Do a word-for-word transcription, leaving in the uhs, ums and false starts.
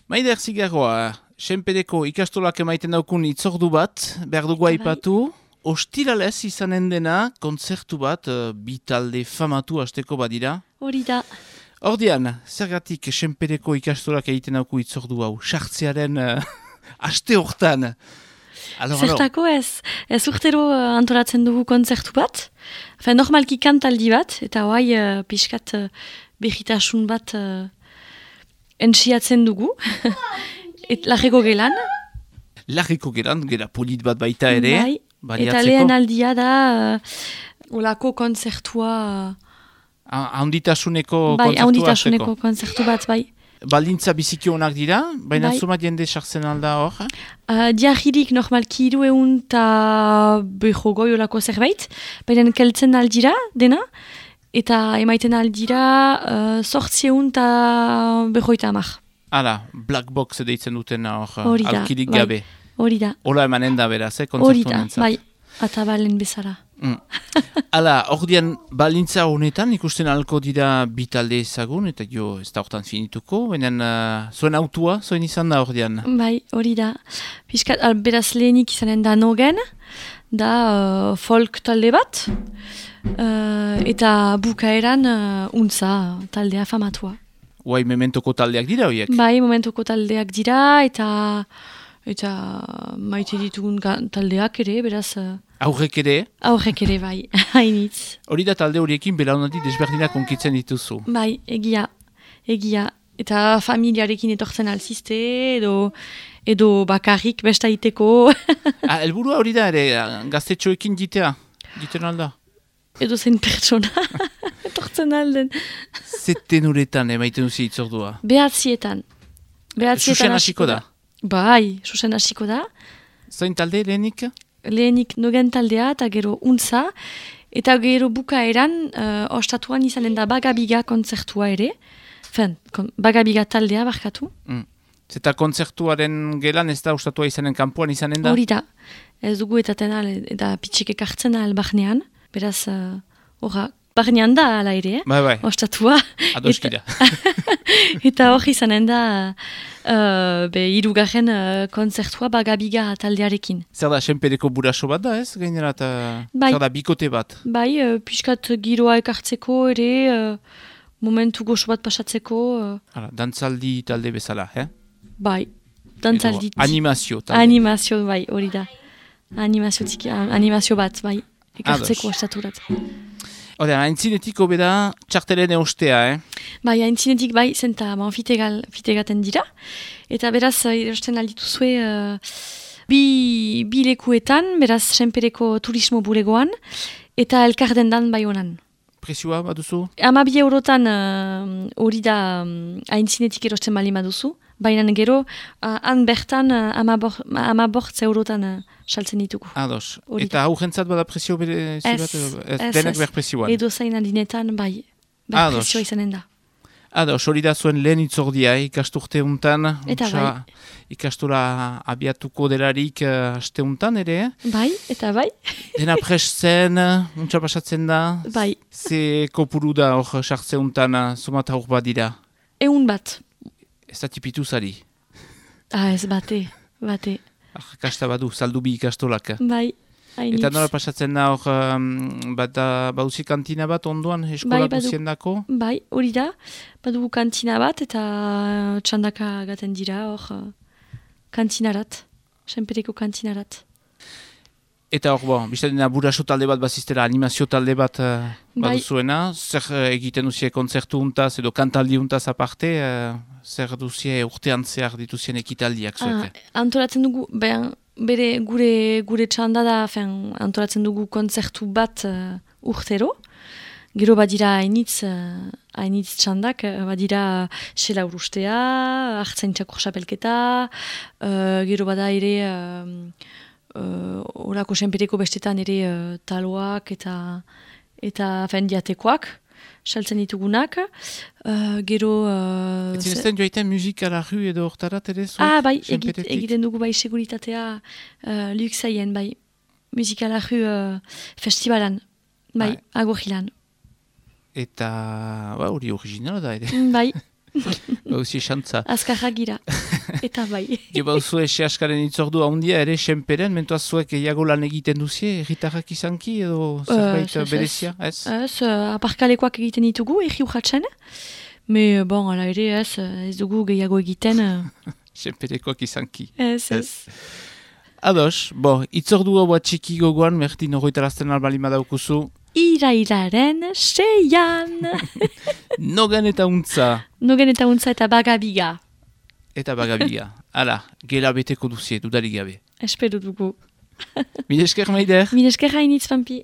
Maider Zigarroa, Senpereko ikastolak emaiten daukun itzordu bat, behar dugu aipatu. Ostiralez izanen dena, kontzertu bat, uh, bi talde famatu hasteko badira. Hori da. Ordian, zergatik Senpereko ikastolak egiten dauku itzordu hau, sartzearen uh, aste hortan. Alors, Zertako ez, ez urtero uh, antolatzen dugu kontzertu bat. Enfin, normalki kantaldi bat, eta hoai uh, pixkat uh, behitasun bat uh, entsiatzen dugu. Et larreko gelan. Larreko gelan, gera polit bat baita ere. Bai, eta lehen aldia da uh, olako kontzertua. Uh, Haunditasuneko bai, kontzertua. haunditasuneko kontzertu bat, bai. Baldintza biziki honak dira, baina bai. Zuma jende sartzen alda hor? Uh, diagirik normalki hiru egun eta beho goi olako zerbait, baina keltzen aldira dena, eta emaiten aldira uh, sortzi egun eta behoita amak. Hala, black box deitzen duten hor, Horida, alkirik bai. gabe. Hori da. Hola emanen da beraz, eh, kontzertu Hori da, honentzat. bai, atabalen bezala. Mm. Hala, ordian balintza honetan ikusten alko dira bitalde ezagun, eta jo ez da hortan finituko, baina uh, zuen autua, zuen izan da ordian. Bai, hori da. Piskat, al, beraz lehenik izanen da nogen, da uh, folk talde bat, uh, eta bukaeran uh, untza taldea famatua. Uai, mementoko taldeak dira horiek? Bai, momentoko taldeak dira, eta eta maite ditugun taldeak ere, beraz... Uh, Aurrek ere? Aurrek ere, bai, hainitz. Hori da talde horiekin belaunaldi desberdinak onkitzen dituzu? Bai, egia, egia. Eta familiarekin etortzen alzizte, edo, edo bakarrik bestaiteko. ah, elburua hori da ere, gaztetxoekin jitea, jiten alda? Edo zen pertsona, etortzen alden. Zeten uretan emaiten duzi itzordua? Behatzietan. Behatzietan Susen hasiko da? Bai, susen hasiko da. Zain talde lehenik? Lehenik nogen taldea eta gero untza. Eta gero bukaeran, uh, ostatuan izanen da bagabiga kontzertua ere. Fen, kon, bagabiga taldea barkatu. Mm. Zeta kontzertuaren gelan ez da ostatua izanen kanpoan izanen da? Hori da. Ez dugu etaten al, eta pitxik ekartzen al barnean. Beraz, horra, uh, barnean da ala ere, eh? Bai, bai. Ostatua. Adoskida. Eta hori izanen da, uh, be, irugarren uh, kontzertua bagabiga taldearekin. Zer da, Senpereko buraso bat da ez? Gainera, eta bai. Zer da, bikote bat? Bai, uh, piskat giroa ekartzeko ere, uh, momentu goxo bat pasatzeko. Uh, Hala, dantzaldi talde bezala, eh? Bai, dantzaldi. Edo, animazio talde. Animazio, bai, hori da. Animazio, tiki, animazio bat, bai, ekartzeko ostaturat. Hora, haintzinetik obeda txartelen eustea, eh? Bai, haintzinetik bai, zenta ma, fitegal, fitegaten dira. Eta beraz, erosten aldituzue uh, bi, bi lekuetan, beraz, Senpereko turismo bulegoan, eta elkardendan bai honan. Presioa baduzu? Ama bi eurotan hori uh, da um, haintzinetik erosten bali baduzu, baina gero, uh, han bertan uh, ama, bor, ama bortz eurotan uh, saltzen ditugu. Ados. Hori eta hau jentzat bada presio bere zibat? Ez, denek behar presioan? Edo zain adinetan, bai, behar presio izanen da. Ados, hori da zuen lehen itzordia, ikasturte untan. Eta untsa, bai. Ikastura abiatuko delarik uh, aste untan ere. Bai, eta bai. Dena presten, untsa pasatzen da. Bai. Ze kopuru da hor sartze untan, somata hor badira. Eun bat. Ez da tipitu zari. Ah, ez bate, bate. Ah, kasta badu, saldu bi ikastolak. Bai, hainitz. Eta nola pasatzen da hor, um, bat baduzi kantina bat onduan eskola bai, guzien dako? Bai, hori da. Badugu kantina bat eta txandaka gaten dira hor uh, kantinarat, Senpereko kantinarat. Eta hor, bon, biztadena buraso talde bat baziztera, animazio talde bat uh, baduzuena, zer uh, egiten duzie kontzertu untaz edo kantaldi untaz aparte, uh, zer duzie urtean zehar dituzien ekitaldiak zueke? Ah, antolatzen dugu, ben, bere gure, gure txanda da, fen, antolatzen dugu kontzertu bat uh, urtero, gero badira hainitz, uh, hainitz txandak, uh, badira xela urustea, hartzen txakur xapelketa, uh, gero bada ere... Uh, Uh, orako Senpereko bestetan ere uh, taloak eta eta fendiatekoak saltzen ditugunak. Uh, gero... Uh, Ez zinezten joaiten musika ru edo hortarat ere zuek? Ah, bai, egit, egiten dugu bai seguritatea uh, luxaien, bai. Musika ru uh, festivalan, bai, bai. Agogilan. Eta, ba, hori originala da ere. Bai. Bauzi xantza. Azkarra gira. Eta bai. Geba zuen sehaskaren itzordua handia ere, senperen, mentuaz zuek gehiago lan egiten duzie, erritarrak izanki edo zerbait uh, berezia, ez? Ez, uh, aparkalekoak egiten ditugu, egi urratxen. Me, bon, ala ere, ez, ez dugu gehiago egiten. Uh... Senperekoak izanki. Ez, ez. Ados, bo, itzordua bat txiki gogoan, Mertin horretarazten albali madaukuzu. Irailaren seian. Nogan eta untza. Nogan eta untza eta bagabiga. Eta bagabiga. Hala, gela beteko duzie, dudarik gabe. Espero dugu. Mil esker, Maider. Mil esker hainitz, Pampi.